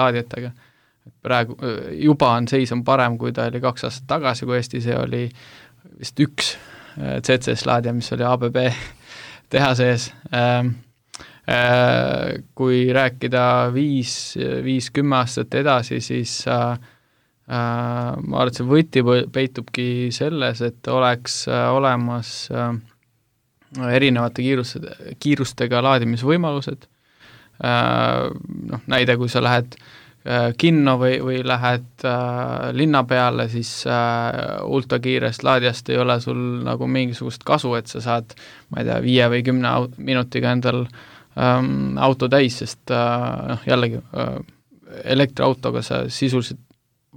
laadijatega. Praegu juba on seis on parem, kui ta oli 2 aastat tagasi, kui Eesti see oli vist 1 CCS-laadija, mis oli ABB teha sees. Kui rääkida 5-10 aastat edasi, siis ma arvan, et see võti peitubki selles, et oleks olemas erinevate kiirustega laadimisvõimalused. Näide, kui sa lähed kinno või lähed linna peale, siis ultrakiirest laadijast ei ole sul nagu mingisugust kasu, et sa saad, ma ei tea, 5 või 10 minutiga endal auto täis, sest jällegi elektriautoga sa sisuliselt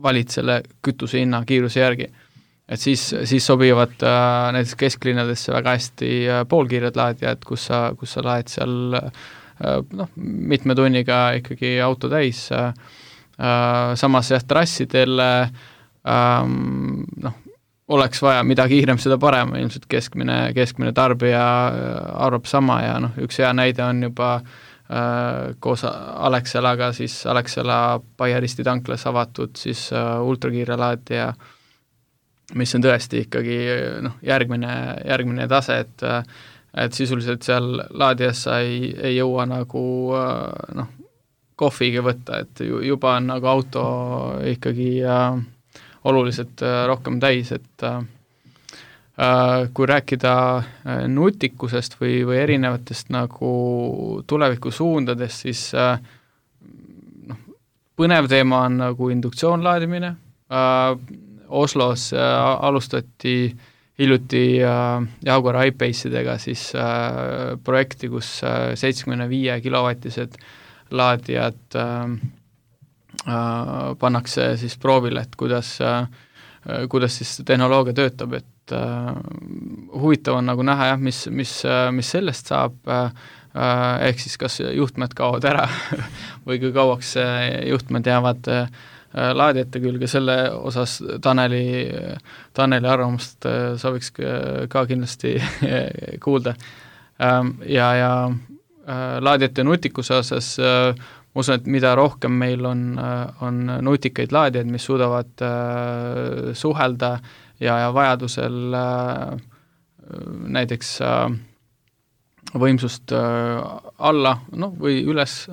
valid selle kütuse hinna kiiruse järgi. Et siis sobivad näiteks kesklinnadesse väga hästi poolkiired laadijad, kus sa laed seal mitme tunniga ikkagi auto täis. Samas trassidel oleks vaja, mida kiirem, seda parem, ilmselt keskmine tarbija arvab sama ja üks hea näide on juba koos Alexelaga, siis Alexela Baieristi tanklas avatud siis ultrakiire laadija, mis on tõesti ikkagi järgmine tase, et sisuliselt seal laadijas sa ei jõua nagu kohviga võtta, et juba on nagu auto ikkagi oluliselt rohkem täis, et kui rääkida nutikusest või erinevatest nagu tulevikusuundadest, siis põnev teema on nagu induktsioonlaadimine. Oslos alustati hiljuti Jaguar I-Pace'idega siis projekti, kus 75 kilovatised laadijad pannakse siis proovile, et kuidas siis tehnoloogia töötab, et huvitav on nagu näha jah, mis sellest saab, ehk siis kas juhtmed kaovad ära või kui kauaks juhtmed jäävad laadijate külge, selle osas Taneli arvamust sooviks ka kindlasti kuulda. Ja laadijate nutikuse osas ma usun, et mida rohkem meil on nutikaid laadijaid, mis suudavad suhelda ja vajadusel näiteks võimsust alla või üles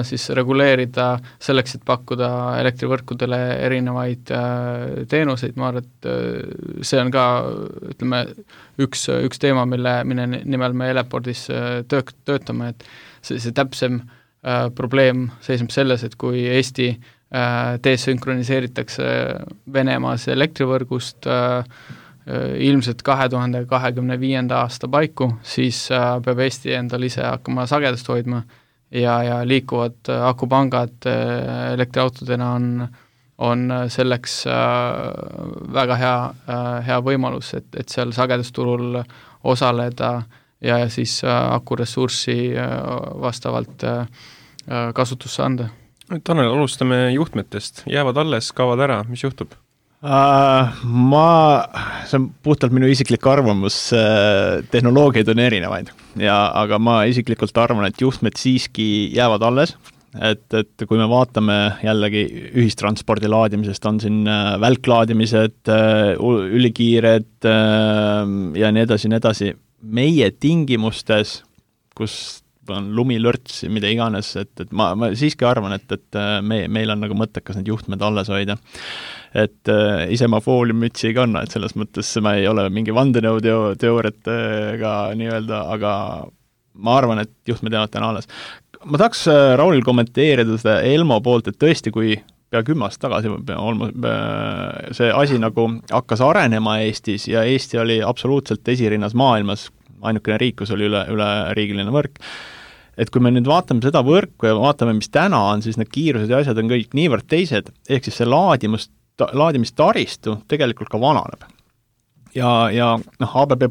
siis reguleerida selleks, et pakkuda elektrivõrkudele erinevaid teenuseid. Ma arvan, et see on ka, ütleme, üks teema, mille nimel me Elepordis töötame, et see täpsem probleem seisneb selles, et kui Eesti desünkroniseeritakse Venemaas elektrivõrgust ilmselt 2025. aasta paiku, siis peab Eesti endal ise hakkama sagedust hoidma ja liikuvad akupangad elektriautodena on selleks väga hea võimalus, et seal sagedusturul osaleda ja siis akuressurssi vastavalt kasutusse anda. Tanel, alustame juhtmetest. Jäävad alles, kaovad ära, mis juhtub? See on puhtalt minu isiklik arvamus, tehnoloogiaid on erinevaid, aga ma isiklikult arvan, et juhtmed siiski jäävad alles, et kui me vaatame jällegi ühistranspordi laadimisest, on siin välklaadimised, ülikiired ja nii edasi, meie tingimustes, kus on lumilörts, mida iganes, et ma siiski arvan, et meil on nagu mõttekas need juhtmed alles hoida. Et ise ma fooliumütsi ei kanna, et selles mõttes ma ei ole mingi vandenõuteooriatega nii-öelda, aga ma arvan, et juhtmed jäävad täna alles. Ma tahaks Raulil kommenteerida seda Elmo poolt, et tõesti, kui pea 10 aastat tagasi see asi nagu hakkas arenema Eestis ja Eesti oli absoluutselt esirinnas maailmas, ainukene riik, kus oli üle riigiline võrk. Et kui me nüüd vaatame seda võrku ja vaatame, mis täna on, siis need kiirused ja asjad on kõik niivõrd teised, ehk siis see laadimistaristu tegelikult ka vananeb. Ja ABB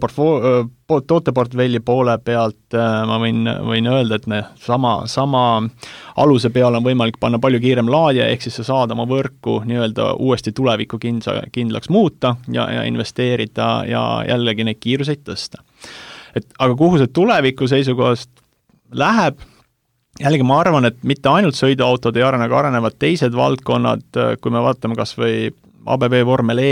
tooteportfelli poole pealt ma võin öelda, et sama aluse peale on võimalik panna palju kiirem laadija, ehk siis sa saad oma võrku nii-öelda uuesti tuleviku kindlaks muuta ja investeerida ja jällegi neid kiiruseid tõsta. Aga kuhu see tuleviku seisukohast läheb, jällegi ma arvan, et mitte ainult sõiduautod ei arene, aga arenevad teised valdkonnad, kui me vaatame kas või ABB Vormel E,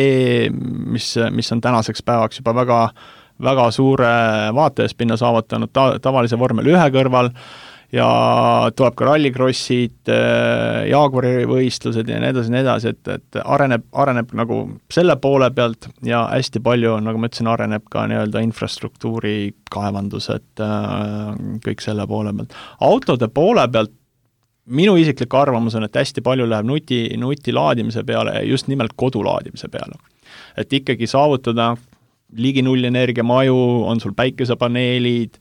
mis on tänaseks päevaks juba väga suure vaatajaspinna saavutanud tavalise Vormel 1 kõrval ja tuleb ka rallikrossid, Jaguari võistlused ja nii edasi, et areneb nagu selle poole pealt ja hästi palju, nagu ma ütlesin, areneb ka nii-öelda infrastruktuuri kaevandused, kõik selle poole pealt. Autode poole pealt minu isiklik arvamus on, et hästi palju läheb nuti laadimise peale, just nimelt kodulaadimise peale. Et ikkagi saavutada ligi nullenergiamaju, on sul päikesepaneelid,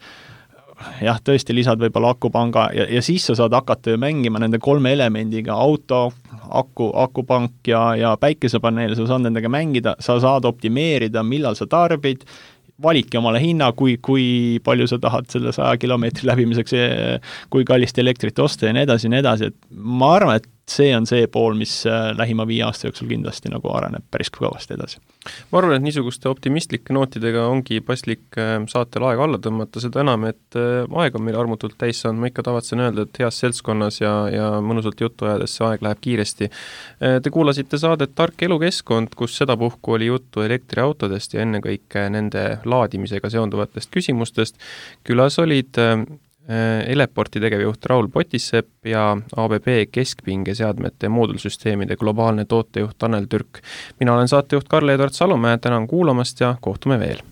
jah, tõesti lisad võib-olla akupanga ja siis sa saad hakata ju mängima nende 3 elemendiga, auto, akupank ja päikesepaneel, sa saad nendega mängida, sa saad optimeerida, millal sa tarbid, valiki omale hinna, kui palju sa tahad selle 100 kilomeetri läbimiseks, kui kallist elektrit osta ja nii edasi, et ma arvan, et see on see pool, mis lähima 5 aasta jooksul kindlasti nagu areneb päris kõvasti edasi. Ma arvan, et niisuguste optimistlike nootidega ongi paslik saatel aega alla tõmmata, seda enam, et aeg on meil armutult täis saanud, ma ikka tavatsen öelda, et heas seltskonnas ja mõnusalt juttu ajades see aeg läheb kiiresti. Te kuulasite saadet Tark elukeskkond, kus sedapuhku oli juttu elektriautodest ja ennekõike nende laadimisega seonduvatest küsimustest. Külas olid Eleporti tegevjuht Raul Potissepp ja ABB keskpingeseadmete moodulsüsteemide globaalne tootejuht Tanel Türk. Mina olen saatejuht Karl-Edvard Salumäe, tänan kuulamast ja kohtume veel!